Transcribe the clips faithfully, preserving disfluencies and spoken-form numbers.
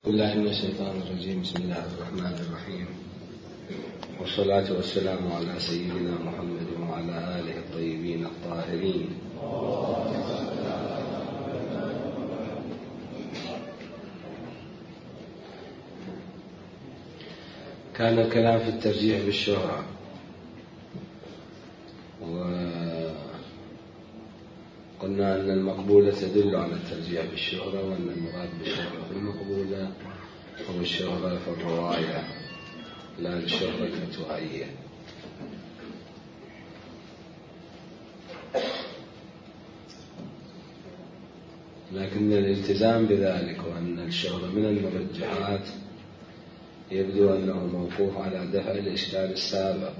بالله من الشيطان الرجيم. بسم الله الرحمن الرحيم، والصلاة والسلام على سيدنا محمد وعلى آله الطيبين الطاهرين. كان الكلام في الترجيح بالشهرة، وقلنا أن المقبولة تدل على الترجيح بالشهرة، وأن المراد بالشهرة في المقبولة هو الشهرة في الرواية لا الشهرة الفتوائية. لكن الالتزام بذلك وأن الشهرة من المرجحات يبدو أنه موقوف على دفع الإشكال السابق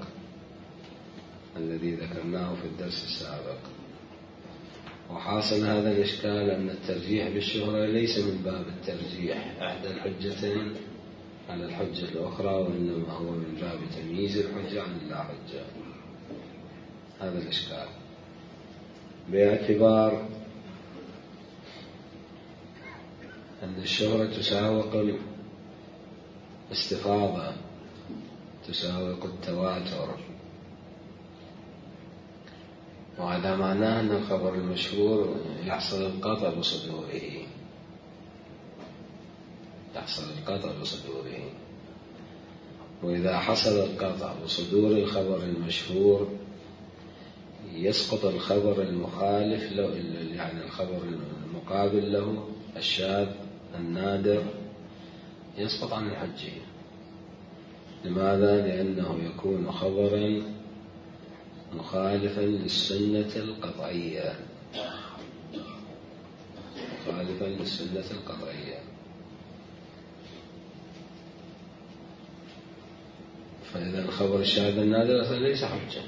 الذي ذكرناه في الدرس السابق. وحاصل هذا الإشكال أن الترجيح بالشهرة ليس من باب الترجيح إحدى الحجتين على الحجة الأخرى، وإنما هو من باب تمييز الحجة عن اللا حجة. هذا الإشكال باعتبار أن الشهرة تساوق الاستفاضة، تساوق التواتر، وهذا معناه أن الخبر المشهور يحصل القطع بصدوره يحصل القطع بصدوره وإذا حصل القطع بصدور الخبر المشهور يسقط الخبر المخالف له، يعني الخبر المقابل له الشاذ النادر يسقط عن الحجة. لماذا؟ لأنه يكون خبرا مخالفا للسنة القطعية مخالفا للسنة القطعية فإذا الخبر الشاذ النادر ليس حجة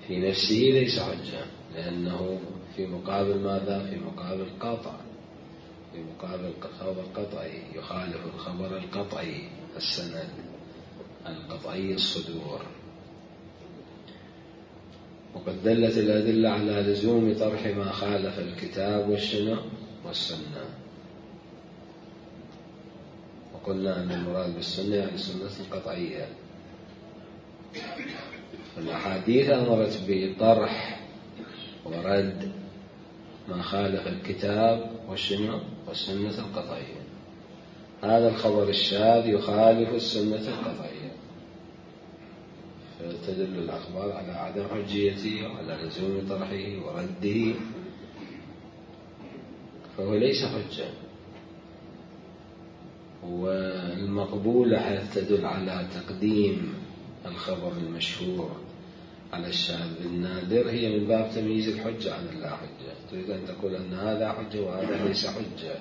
في نفسه، ليس حجة، لأنه في مقابل ماذا؟ في مقابل قطع، في مقابل خبر قطعي يخالف الخبر القطعي السند القطعي الصدور. وقد دلت الأدلة على لزوم طرح ما خالف الكتاب والسنة والسنة وقلنا أن المراد بالسنة يعني السنة القطعية. الأحاديث أمرت بطرح ورد ما خالف الكتاب والسنة والسنة القطعية. هذا الخبر الشاذ يخالف السنة القطعية، فتدل الأخبار على عدم حجيته وعلى لزوم طرحه ورده، فهو ليس حجة. والمقبولة حيث تدل على تقديم الخبر المشهور على الشاذ النادر هي من باب تمييز الحجة عن اللا حجة. تريد أن تقول أن هذا حجة وهذا ليس حجة،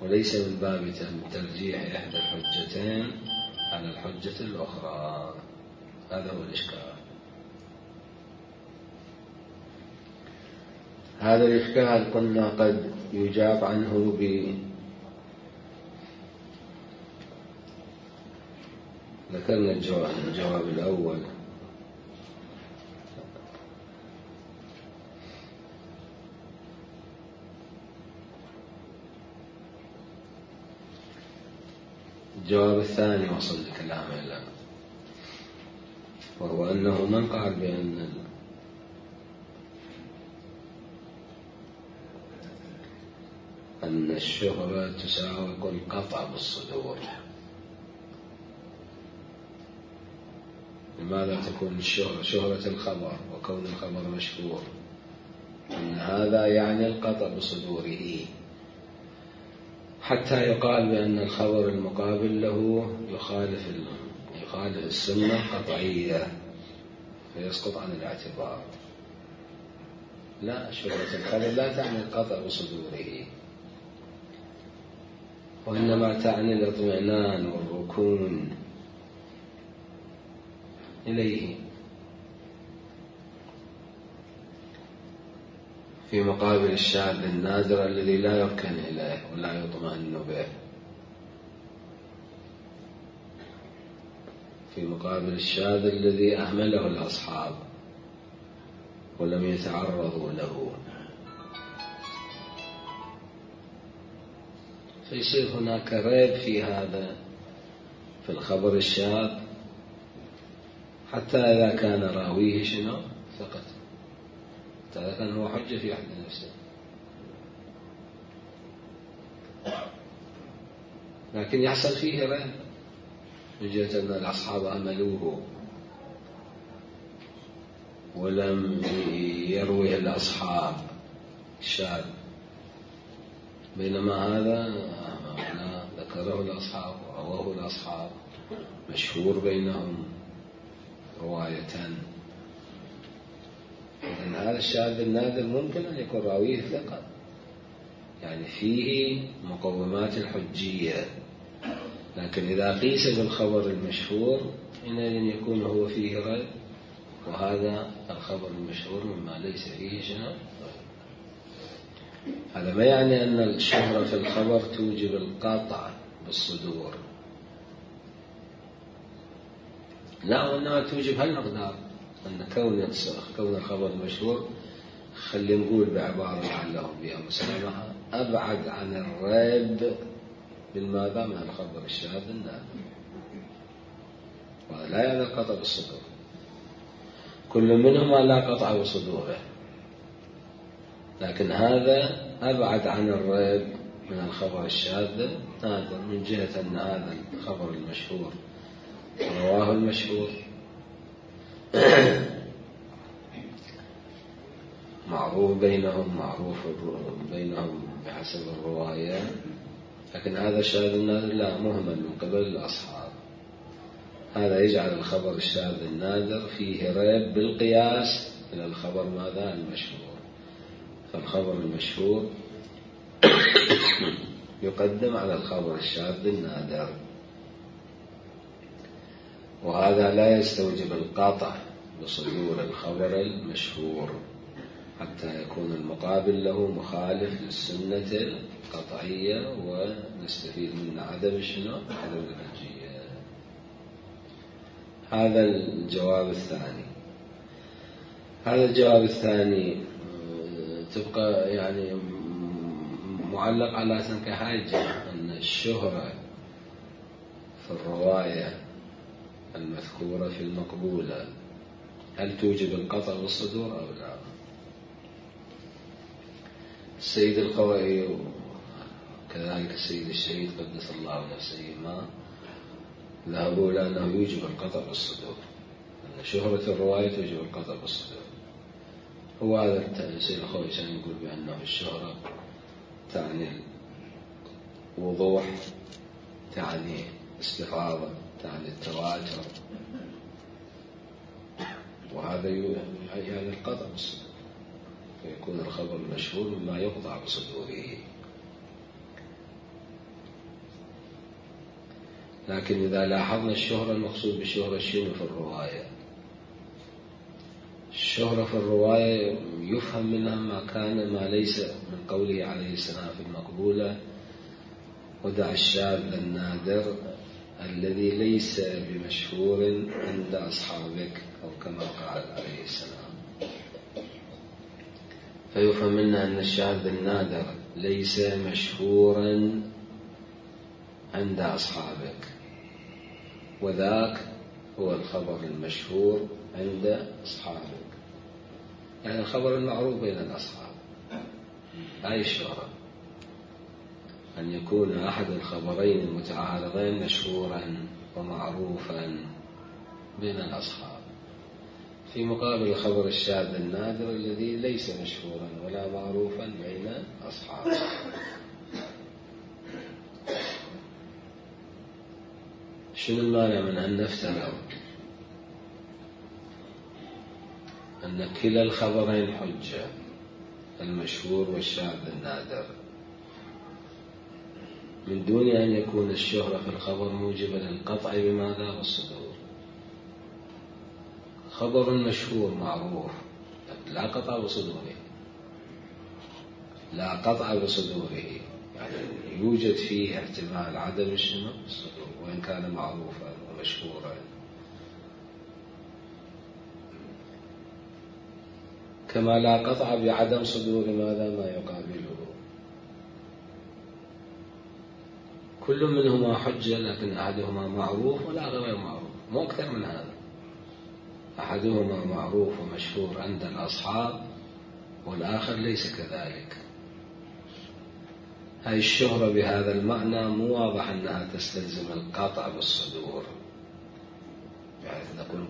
وليس من باب ترجيح إحدى الحجتين على الحجة الأخرى. هذا هو الإشكال. هذا الإشكال قلنا قد يجاب عنه ب ذكرنا الجواب, الجواب الأول الجواب الثاني وصل لكلامه الآن، وهو أنه من قال بأن أن الشهرة تساوق القطع بالصدور. لماذا تكون الشهرة شهرة الخبر وكون الخبر مشهور؟ أن هذا يعني القطع بصدوره، حتى يقال بأن الخبر المقابل له يخالف يخالف السنة القطعية فيسقط عن الاعتبار. لا، شهرة الخبر لا تعني القطع بصدوره، وإنما تعني الاطمئنان والركون إليه في مقابل الشاذ النادر الذي لا يركن إليه ولا يطمئن به، في مقابل الشاذ الذي أهمله الأصحاب ولم يتعرضوا له. فيصير هناك ريب في هذا في الخبر الشاذ، حتى إذا كان راويه شنو ثقة، حتى إذا كان هو حجة في حد نفسه، لكن يحصل فيه ريب من جهة أن الأصحاب أملوه ولم يروه الأصحاب شاذ، بينما هذا ذكره الأصحاب ورواه الأصحاب مشهور بينهم رواية. إذن هذا الشاذ النادر ممكن أن يكون راويه ثقة، يعني فيه مقومات الحجية، لكن إذا قيس بالخبر المشهور حينئذ يكون هو فيه ريب، وهذا الخبر المشهور مما ليس فيه شنو. هذا ما يعني أن الشهرة في الخبر توجب القطع بالصدور، لا، وإنما توجب هالمقدار، أن كون كون الخبر المشهور خلي نقول بعبارة لعلهم بها مسلمة أبعد عن الريب بالماذا من الخبر الشاذ النادر، وهذا لا يعني القطع بالصدور، كل منهما لا قطع بصدوره، لكن هذا أبعد عن الريب من الخبر الشاذ النادر، من جهة أن هذا الخبر المشهور رواه المشهور معروف بينهم، معروف بينهم بحسب الرواية، لكن هذا الشاذ النادر لا، مهمل من قبل الأصحاب، هذا يجعل الخبر الشاذ النادر فيه ريب بالقياس إلى الخبر ماذا المشهور، فالخبر المشهور يقدم على الخبر الشاذ النادر، وهذا لا يستوجب القطع بصدور الخبر المشهور حتى يكون المقابل له مخالف للسنة القطعية ونستفيد من عدم شنو عدم الحجية. هذا الجواب الثاني. هذا الجواب الثاني تبقى يعني معلق على كحاجة أن الشهرة في الرواية المذكورة في المقبولة هل توجب القطع بالصدور أو لا؟ السيد الخوئي كذلك السيد الشهيد قدس الله نفسهما ذهبوا إلى أنه يوجب القطع بالصدور، أن شهرة الرواية توجب القطع بالصدور. هو هذا السيد الخوئي كان يقول بأنه الشهرة تعني الوضوح، تعني استفاضة، تعني التواتر، وهذا يعني القطع بالصدور، فيكون الخبر المشهور مما يقطع بصدوره. لكن إذا لاحظنا الشهرة المقصود بالشهرة شنو في الرواية؟ الشهرة في الرواية يفهم منها ما كان ما ليس من قوله عليه السلام في المقبولة ودع الشاذ النادر الذي ليس بمشهور عند أصحابك، أو كما قال عليه السلام، فيفهم منها أن الشاذ النادر ليس مشهورا عند أصحابك، وذاك هو الخبر المشهور عند أصحابك، يعني الخبر المعروف بين الأصحاب. هاي الشهرة أن يكون أحد الخبرين المتعارضين مشهورا ومعروفا بين الأصحاب، في مقابل الخبر الشاذ النادر الذي ليس مشهورا ولا معروفا بين أصحابه. شنو المانع من أن نفترض أن كلا الخبرين حجة، المشهور والشاذ النادر، من دون أن يكون الشهرة في الخبر موجبة للقطع بماذا بالصدور؟ خبر مشهور معروف لا قطع بصدوره، لا قطع بصدوره، يعني يوجد فيه احتمال عدم الشنو الصدور وإن كان معروفا ومشهورا، كما لا قطع بعدم صدور ماذا ما يقابله. كل منهما حجة، لكن أحدهما معروف والآخر غير معروف، مو أكثر من هذا. أحدهما معروف ومشهور عند الأصحاب والآخر ليس كذلك. هاي الشهرة بهذا المعنى مو واضح أنها تستلزم القطع بالصدور، يعني نقول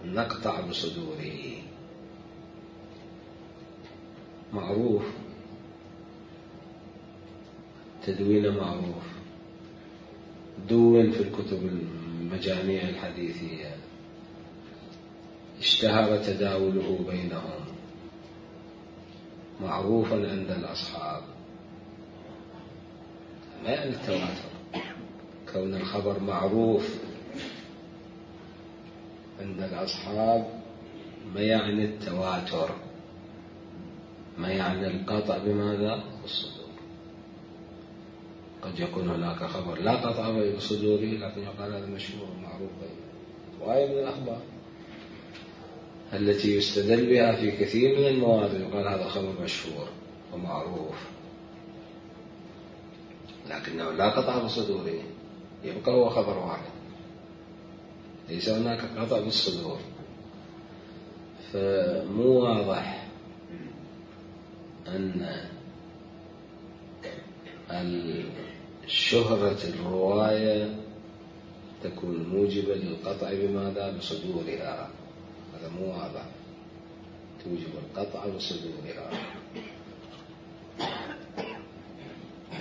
نقطع بصدوره. معروف، تدوين معروف، دون في الكتب المجاميع الحديثية، اشتهر تداوله بينهم، معروفا عند الأصحاب. ما يعني التواتر، كون الخبر معروف عند الأصحاب ما يعني التواتر، ما يعني القطع بماذا؟ بالصدور. قد يكون هناك خبر لا قطع بصدوره لكن يقال هذا مشهور ومعروف بينه. وهي من الأخبار التي يستدل بها في كثير من المواضع، يقال هذا خبر مشهور ومعروف لكنه لا قطع بصدوره، يبقى هو خبر واحد، ليس هناك قطع بالصدور. فمو واضح أن الشهرة الرواية تكون موجبة للقطع بماذا؟ بصدورها. هذا مو واضح، توجب القطع بصدورها.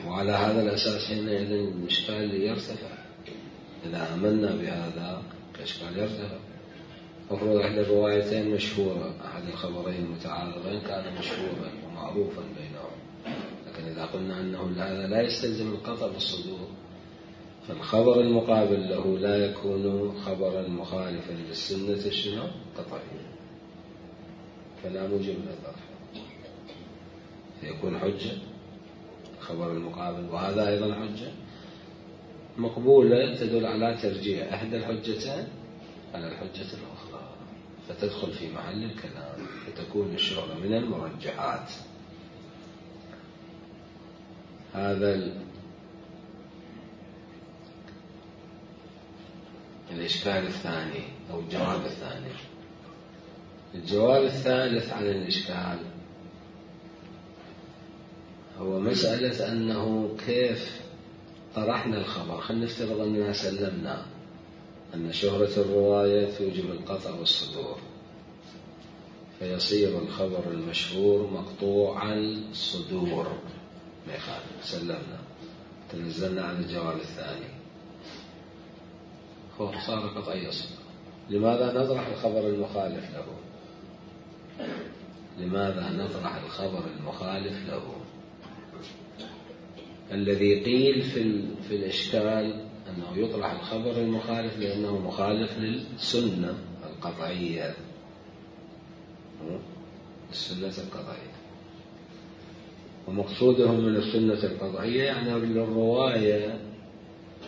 وعلى هذا الأساس حينئذ الإشكال يرتفع. إذا آمنا بهذا الإشكال يرتفع. مفروض أحد الروايتين مشهورة، أحد الخبرين المتعارضين كان مشهورا ومعروفا بينهم، لكن إذا قلنا أنه هذا لا يستلزم القطع بالصدور، فالخبر المقابل له لا يكون خبرا مخالفا للسنة شنو؟ قطعيا، فلا موجب للظرف، فيكون حجة الخبر المقابل، وهذا أيضا حجة مقبولة تدل على ترجيح إحدى الحجتين على الحجة الأخرى، فتدخل في محل الكلام، فتكون الشهرة من المرجحات. هذا الإشكال الثاني أو الجواب الثاني. الجواب الثالث عن الإشكال هو مسألة أنه كيف طرحنا الخبر. خلينا نفترض أننا سلمنا أن شهرة الرواية توجب القطع والصدور، فيصير الخبر المشهور مقطوع الصدور، ما يخالف، سلمنا، تنزلنا عن الجواب الثاني، هو صار قطعي الصدور. لماذا نطرح الخبر المخالف له؟ لماذا نطرح الخبر المخالف له؟ الذي قيل في, في الإشكال أنه يطرح الخبر المخالف لأنه مخالف للسنة القطعية، السنة القطعية، ومقصودهم من السنة القطعية يعني للرواية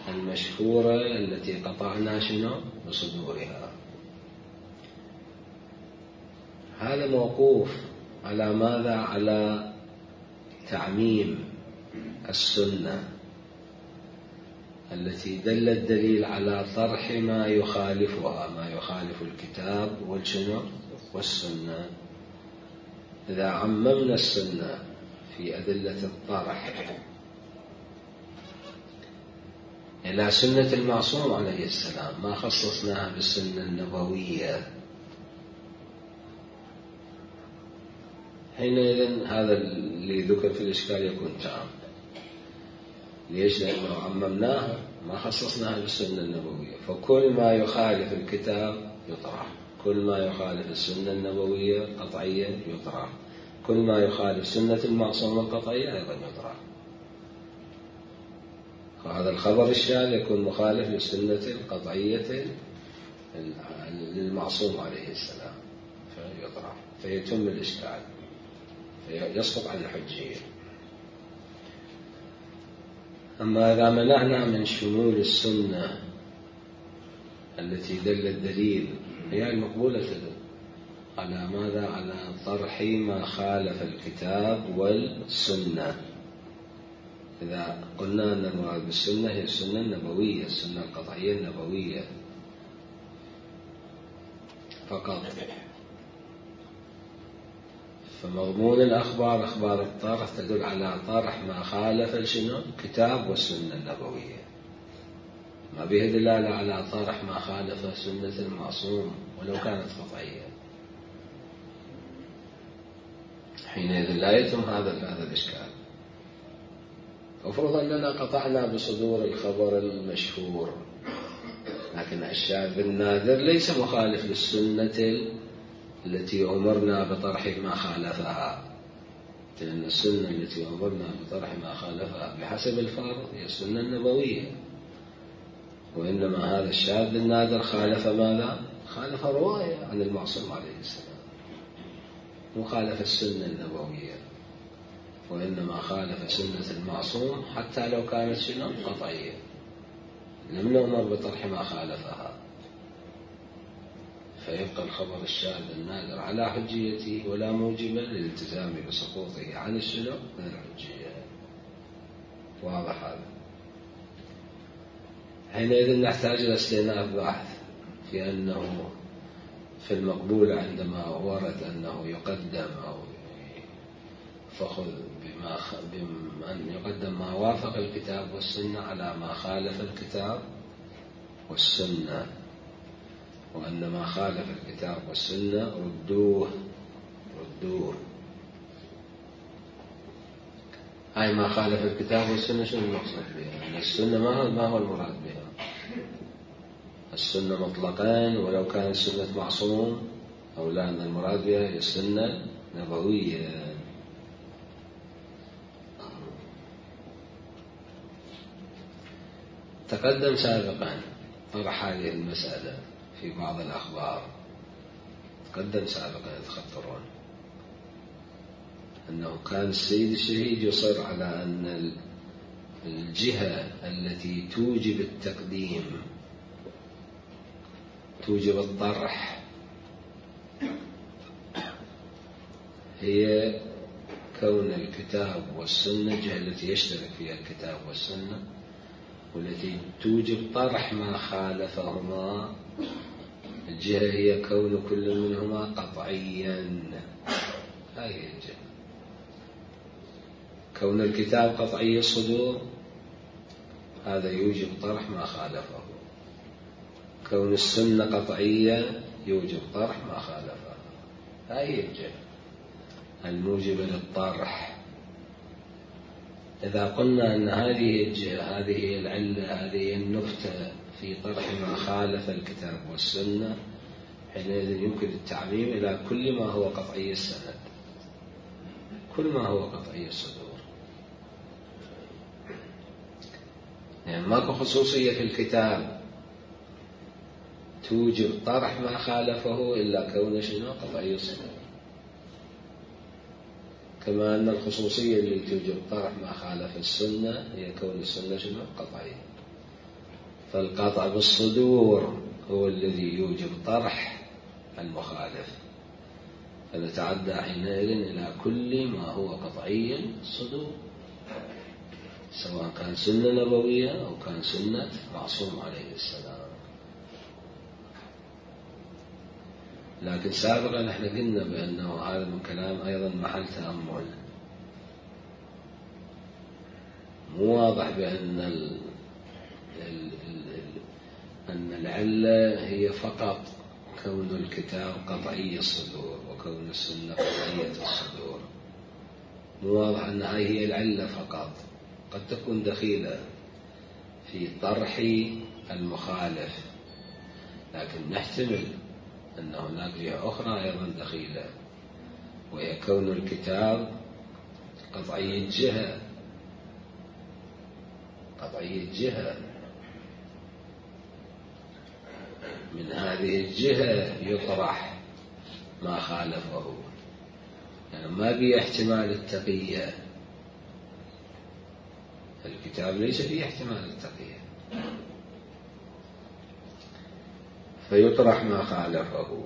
المشهورة التي قطعنا شنو بصدورها. هذا موقوف على ماذا؟ على تعميم السنة التي دل الدليل على طرح ما يخالفها، ما يخالف الكتاب والشنو والسنة. إذا عممنا السنة في أدلة الطرح إلى سنة المعصوم عليه السلام، ما خصصناها بالسنة النبوية، حينئذ هذا اللي ذكر في الإشكال يكون تام. ليش؟ لأنه عممناها، ما خصصناها بالسنة النبوية، فكل ما يخالف الكتاب يطرح، كل ما يخالف السنة النبوية قطعيا يطرح، كل ما يخالف سنة المعصوم القطعية أيضا يطرح. فهذا الخبر الشاذ يكون مخالف للسنة القطعية للمعصوم عليه السلام فيطرح، فيتم الإشكال، فيسقط عن الحجية. أما إذا منعنا من شمول السنة التي دل الدليل، هي المقبولة تدل على ماذا؟ على طرح ما خالف الكتاب والسنة، إذا قلنا أن المراد بالسنة هي السنة النبوية، السنة القطعية النبوية فقط. فمضمون الأخبار أخبار الطرح تدل على طرح ما خالف شنو؟ الكتاب والسنة النبوية، ما به دلالة على طرح ما خالف سنة المعصوم ولو كانت قطعية. حينئذ لا يتم هذا هذا الإشكال. أفرض أننا قطعنا بصدور الخبر المشهور، لكن الشاذ النادر ليس مخالف للسنة التي أمرنا بطرح ما خالفها، لأن السنة التي أمرنا بطرح ما خالفها بحسب الفرض هي السنة النبوية، وإنما هذا الشاذ النادر خالف ماذا؟ خالف رواية عن المعصوم عليه السلام، مخالف السنة النبوية، وإنما خالف سنة المعصوم حتى لو كانت شنو؟ قطعية، لم نؤمر بطرح ما خالفها، فيبقى الخبر الشاذ النادر على حجيته ولا موجب للالتزام بسقوطه عن الشنو؟ من الحجية. واضح هذا؟ حينئذ نحتاج إلى استئناف بحث في أنه في المقبول عندما ورد أنه يقدم أو فخذ بما خ... بأن يقدم ما وافق الكتاب والسنة على ما خالف الكتاب والسنة، وأن ما خالف الكتاب والسنة ردوه ردوه هاي ما خالف الكتاب والسنة شنو المقصود بها؟ السنة ما هو ما هو المراد بها؟ السنة مطلقا ولو كانت سنة معصوم، أو لا أن المراد بها هي السنة نبوية. تقدم سابقا طرح هذه المسألة في بعض الأخبار، تقدم سابقا تخطرون أنه كان السيد الشهيد يصر على أن الجهة التي توجب التقديم توجب الطرح هي كون الكتاب والسنة، الجهة التي يشترك فيها الكتاب والسنة والتي توجب طرح ما خالفهما الجهة هي كون كل منهما قطعيا. هذه الجهة. كون الكتاب قطعي الصدور هذا يوجب طرح ما خالفه، كون السنة قطعية يوجب طرح ما خالفها. هذه الجهة الموجبة للطرح. إذا قلنا أن هذه الجهة هذه هي العلة هذه النكتة في طرح ما خالف الكتاب والسنة، حينئذ يمكن التعميم إلى كل ما هو قطعي السند، كل ما هو قطعي الصدور. يعني ماكو خصوصية في الكتاب توجب طرح ما خالفه إلا كون شنو؟ قطعي الصدور. كما أن الخصوصية اللي توجب طرح ما خالف السنة هي كون السنة شنو؟ قطعية. فالقطع بالصدور هو الذي يوجب طرح المخالف، فنتعدى حينئذ إلى كل ما هو قطعي الصدور، سواء كان سنة نبوية أو كان سنة معصوم عليه السلام. لكن سابقا نحن قلنا بأنه هذا من كلام أيضا محل تأمل، مو واضح بأن ال... ال... ال... أن العلة هي فقط كون الكتاب قطعي الصدور وكون السنة قطعية الصدور، مو واضح أن هذه هي العلة فقط، قد تكون دخيلة في طرح المخالف، لكن نحتمل أن هناك جهة أخرى أيضا دخيلة، وهي كون الكتاب قطعي الجهة قطعي الجهة من هذه الجهة يطرح ما خالفه، يعني ما بيه احتمال التقية، الكتاب ليس فيه احتمال التقية، فيطرح ما خالفه،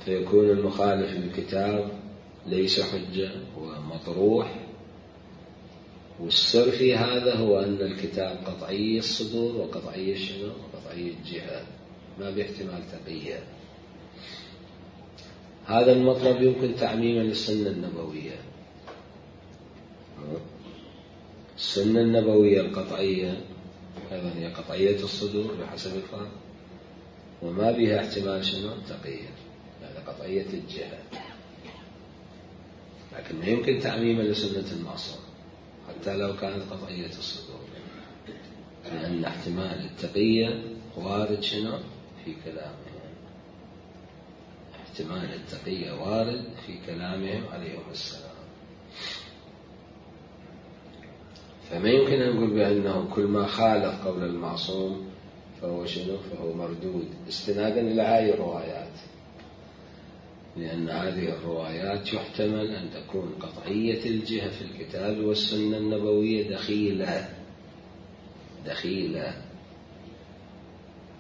فيكون المخالف للكتاب ليس حجة ومطروح والسر في هذا هو أن الكتاب قطعي الصدور وقطعي شنو؟ قطعي الجهة، ما باحتمال تقية. هذا المطلب يمكن تعميما للسنة النبوية. السنة النبوية القطعية أيضا هي قطعية الصدور بحسب الفرق، وما بها احتمال شنو؟ تقية، يعني قطعية الجهة. لكن ما يمكن تعميما لسنة المعصوم حتى لو كانت قطعية الصدور، لأن احتمال التقية وارد شنو؟ في كلامهم. احتمال التقية وارد في كلامهم عليهم السلام. فما يمكن أن نقول بأنه كل ما خالف قول المعصوم فهو شنو؟ فهو مردود استنادا إلى هذه الروايات، لأن هذه الروايات يحتمل أن تكون قطعية الجهة في الكتاب والسنة النبوية دخيلة دخيلة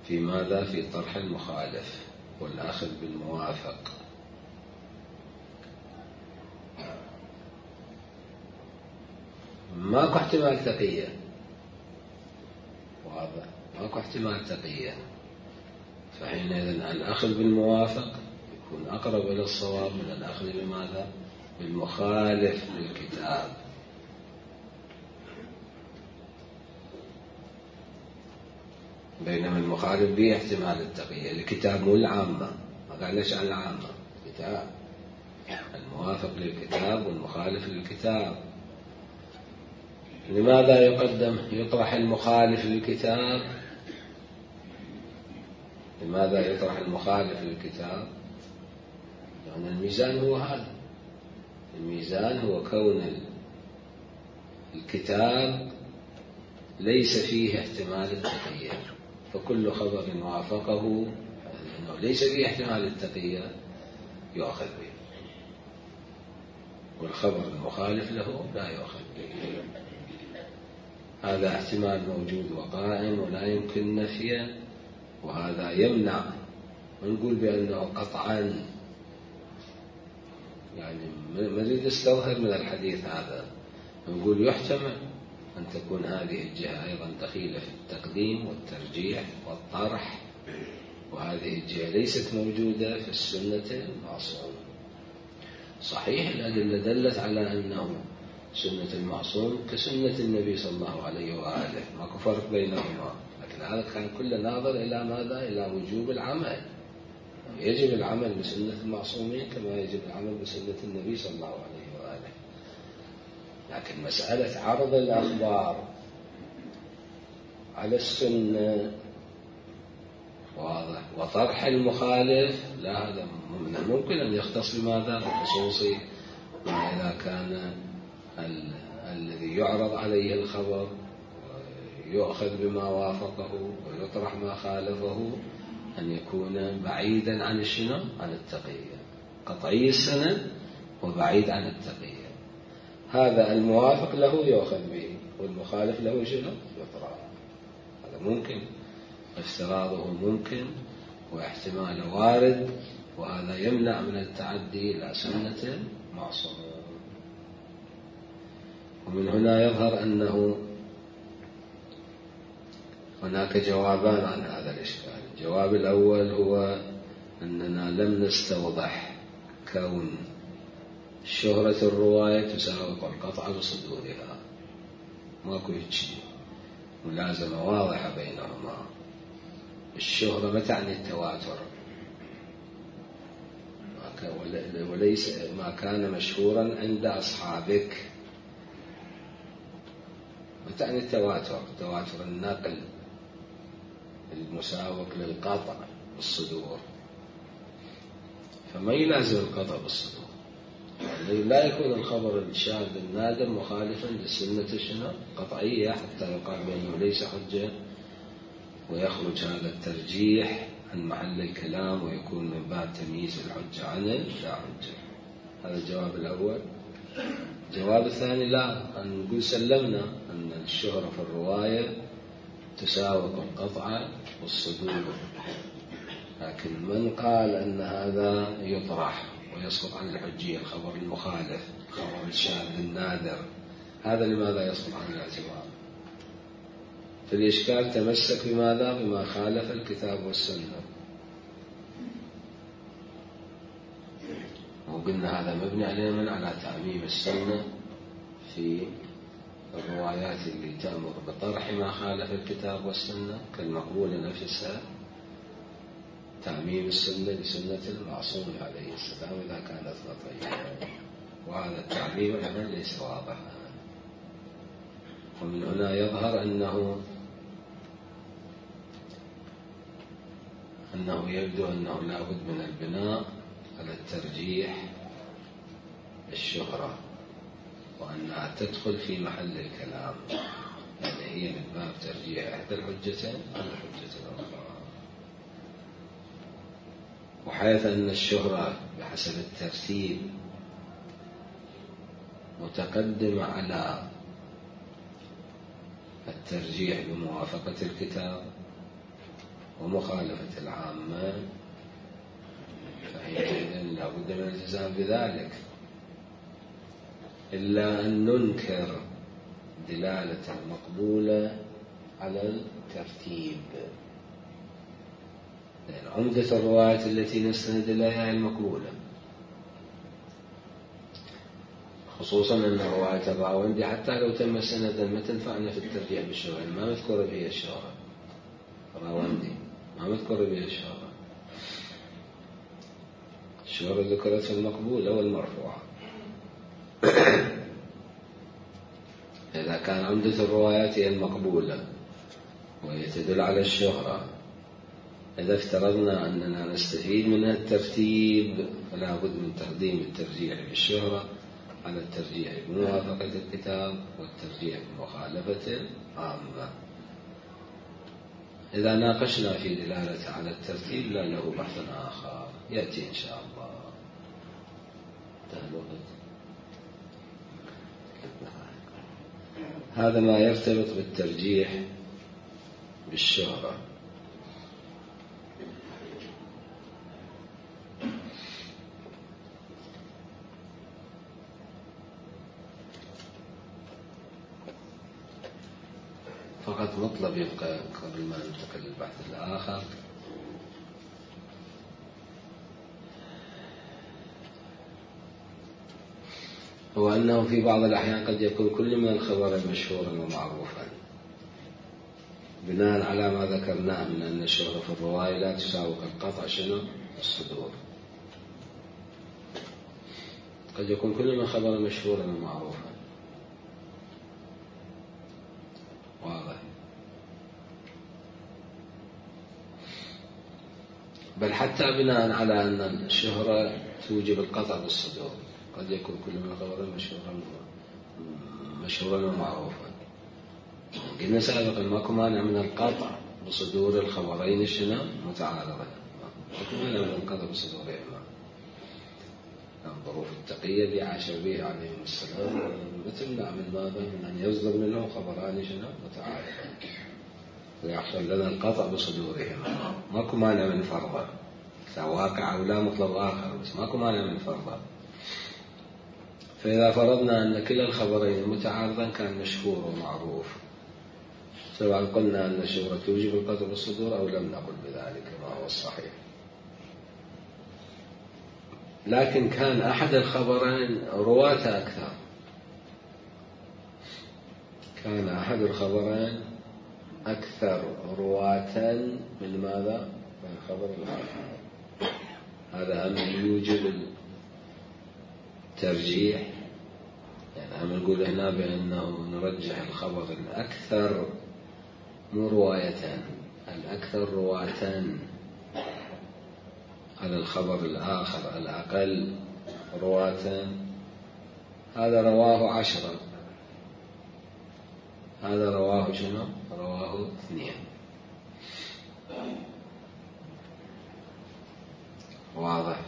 في ماذا؟ في طرح المخالف والأخذ بالموافق. ماكو احتمال تقية، واضح؟ ماكو احتمال تقية، فحينئذ الأخذ بالموافق يكون أقرب إلى الصواب من الأخذ بماذا؟ بالمخالف للكتاب. بينما المخالف به احتمال التقية. الكتاب مو العامة، ما قالناش عن العامة، الكتاب الموافق للكتاب والمخالف للكتاب. لماذا يقدم يطرح المخالف للكتاب؟ لماذا يطرح المخالف للكتاب؟ لأن يعني الميزان هو هذا، الميزان هو كون الكتاب ليس فيه احتمال التقية، فكل خبر وافقه أنه ليس فيه احتمال التقية يؤخذ به، والخبر المخالف له لا يؤخذ به. هذا احتمال موجود وقائم ولا يمكن نفيه، وهذا يمنع نقول بأنه قطعا، يعني ما نريد نستظهر من الحديث هذا، نقول يحتمل أن تكون هذه الجهة أيضا دخيلة في التقديم والترجيح والطرح، وهذه الجهة ليست موجودة في السنة المعصوم. صحيح الأدلة دلت على أنه سنة المعصوم كسنة النبي صلى الله عليه وآله، ماكو فرق بينهما، لكن هذا كان كله ناظر إلى ماذا؟ إلى وجوب العمل. يجب العمل بسنة المعصومين كما يجب العمل بسنة النبي صلى الله عليه وآله. لكن مسألة عرض الأخبار على السنة واضح، وطرح المخالف لا، هذا ممكن أن يختص بماذا؟ بخصوص ما إذا كان ال... الذي يعرض عليه الخبر يؤخذ بما وافقه ويطرح ما خالفه، أن يكون بعيدا عن الشنو؟ عن التقية، قطعي السند وبعيد عن التقية. هذا الموافق له يؤخذ به والمخالف له شنو؟ يطرح. هذا ممكن، افتراضه ممكن واحتماله وارد، وهذا يمنع من التعدي إلى سنة معصومة. ومن هنا يظهر أنه هناك جوابان عن هذا الإشكال. الجواب الأول هو أننا لم نستوضح كون شهرة الرواية تساوق القطع بصدورها، ماكو هيك ملازمة واضحة بينهما. الشهرة ما تعني التواتر، وليس ما كان مشهورا عند أصحابك، ما تعني التواتر، تواتر النقل المساوق للقطع بالصدور، فما يلازم القطع بالصدور. يعني لا يكون الخبر الشاذ النادر مخالفا للسنة شنو؟ قطعية، حتى يقال بأنه ليس حجة ويخرج هذا الترجيح عن محل الكلام ويكون من باب تمييز الحجة عن لا حجة. هذا الجواب الأول. الجواب الثاني لا، أن نقول سلمنا أن الشهرة في الرواية تساوق القطع والصدور، لكن من قال أن هذا يطرح ويسقط عن الحجية الخبر المخالف، الخبر الشاذ النادر، هذا لماذا يصدق عن الاعتبار؟ في الإشكال تمسك بماذا؟ بما خالف الكتاب والسنة، وقلنا هذا مبني عليه من على تعميم السنة في الروايات اللي تأمر بطرح ما خالف الكتاب والسنة كالمقبولة نفسها، تعميم السنة لسنة المعصوم عليه السلام إذا كانت خطيئة، وهذا التعميم أيضا ليس واضحا. ومن هنا يظهر أنه أنه يبدو أنه لا بد من البناء على الترجيح الشهرة، وأنها تدخل في محل الكلام، يعني هي من باب ترجيح إحدى الحجتين على الحجة الأخرى. وحيث أن الشهرة بحسب الترتيب متقدمة على الترجيح بموافقة الكتاب ومخالفة العامة، فحينئذ لا بد من الالتزام بذلك، إلا أن ننكر دلالة المقبولة على الترتيب، لأن عمدة الروايات التي نستند إليها المقبولة، خصوصا أن رواية الراوندي حتى لو تم سندا ما تنفعنا في الترجيح بالشهرة، ما مذكور بها الشهرة، الراوندي ما مذكور بها الشهرة، الشهرة ذكرت في المقبولة والمرفوعة. إذا كان عمدة الروايات هي المقبولة وهي تدل على الشهرة، إذا افترضنا أننا نستفيد من الترتيب فلا بد من تقديم الترجيح بالشهرة على الترجيح بموافقة الكتاب والترجيح بمخالفة العامة. إذا ناقشنا في دلالة على الترتيب لا له بحث آخر يأتي إن شاء الله. هذا ما يرتبط بالترجيح بالشهرة. فقط مطلب يبقى قبل ما ننتقل للبحث الآخر، هو أنه في بعض الأحيان قد يكون كل من الخبر مشهورا ومعروفا بناء على ما ذكرناه من أن الشهرة في الرواية لا تساوي القطع شنو الصدور. قد يكون كل من خبر مشهورا ومعروفا، واضح، بل حتى بناء على أن الشهرة توجب القطع بالصدور قد يكون كل من خبر مشهورا مشهورا ومعروفا. قلنا سابقا ماكو مانع من القطع بصدور الخبرين شنو متعارضين، ماكو مانع من القطع بصدورهما. الظروف التقية اللي عاش بها عليه السلام بتمنع من ماذا؟ من أن يصدر منه خبران شنو متعارضين ويحصل لنا القطع بصدورهما. ماكو مانع من فرضه، سواء واقع أو لا مطلب آخر، بس ماكو مانع من فرضه. فإذا فرضنا أن كلا الخبرين متعارضا كان مشهور ومعروف، سواء قلنا أن الشهرة توجب القطع بالصدور أو لم نقل بذلك ما هو الصحيح، لكن كان أحد الخبرين رواة أكثر، كان أحد الخبرين أكثر رواة من ماذا؟ من الخبر الآخر. هذا أمر يوجب الترجيح، يعني أمر نقول هنا بأنه نرجح الخبر الأكثر مو رواية، الأكثر رواة على الخبر الآخر الأقل رواة. هذا رواه عشرة، هذا رواه شنو؟ رواه اثنين، واضح.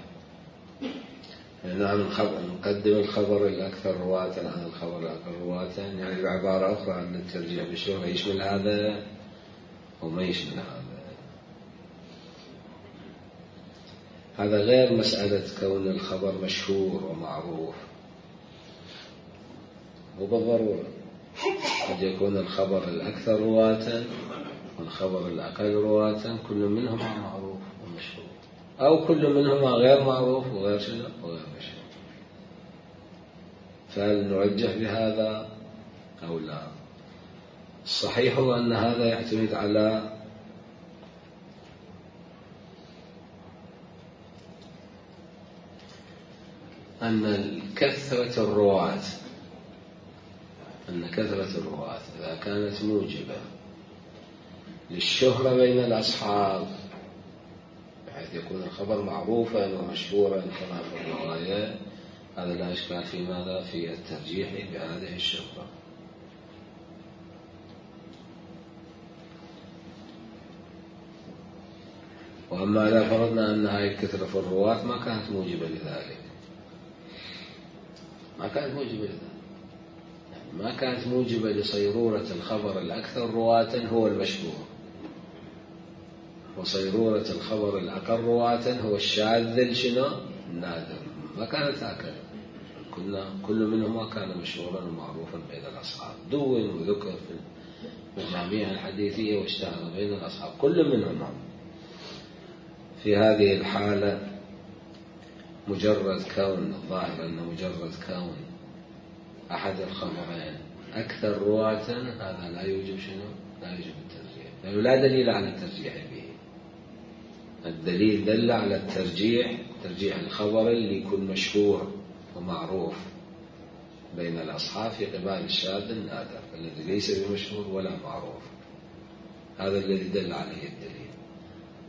نعم نقدم الخبر الأكثر رواة على الخبر الأقل رواة، يعني بعبارة أخرى أن الترجيح بالشهرة يشمل هذا وما يشمل هذا. هذا غير مسألة كون الخبر مشهور ومعروف، مو بالضرورة، قد يكون الخبر الأكثر رواة والخبر الأقل رواة كل منهما معروف ومشهور، أو كل منهما غير معروف وغير شنو وغير مشهور. فهل نرجح بهذا أو لا؟ الصحيح هو أن هذا يعتمد على أن كثرة الرواة أن كثرة الرواة إذا كانت موجبة للشهرة بين الأصحاب بحيث يكون الخبر معروفا ومشهورا كما في الرواية، هذا لا إشكال في ماذا؟ في الترجيح بهذه الشهرة. وأما إذا فرضنا أن هذه الكثرة في الرواة ما كانت موجبة لذلك، ما كانت موجبة لذلك يعني ما كانت موجبة لصيرورة الخبر الأكثر رواة هو المشهور، وصيرورة الخبر الأقل رواة هو الشاذ شنو النادر، ما كانت هكذا. كنا كل منهما كان مشهورا ومعروفا بين الأصحاب، دون وذكر في المجاميع الحديثية واشتهر بين الأصحاب كل منهما. في هذه الحالة مجرد كون الظاهر أن مجرد كون أحد الخبرين أكثر رواة هذا لا يوجب شنو؟ لا يوجب الترجيح، لأنه لا دليل على الترجيح به. الدليل دل على الترجيح، ترجيح الخبر اللي يكون مشهور ومعروف بين الأصحاب في قبال الشاذ النادر الذي ليس بمشهور ولا معروف، هذا الذي دل عليه الدليل.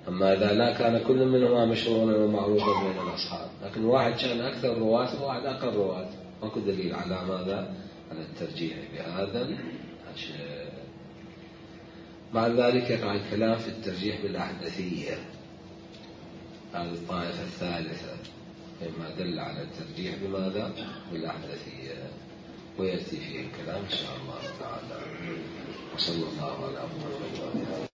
أما إذا لا كان كل منهما مشهورا ومعروفا بين الأصحاب، لكن واحد كان أكثر رواة وواحد أقل رواة، ماكو دليل على ماذا؟ على الترجيح بهذا الشيء. مع ذلك يقع الكلام في الترجيح بالأحدثية، هذه الطائفة الثالثة مما دل على الترجيح بماذا؟ بالأحدثية، ويأتي فيه الكلام إن شاء الله تعالى. وصلى الله على محمد.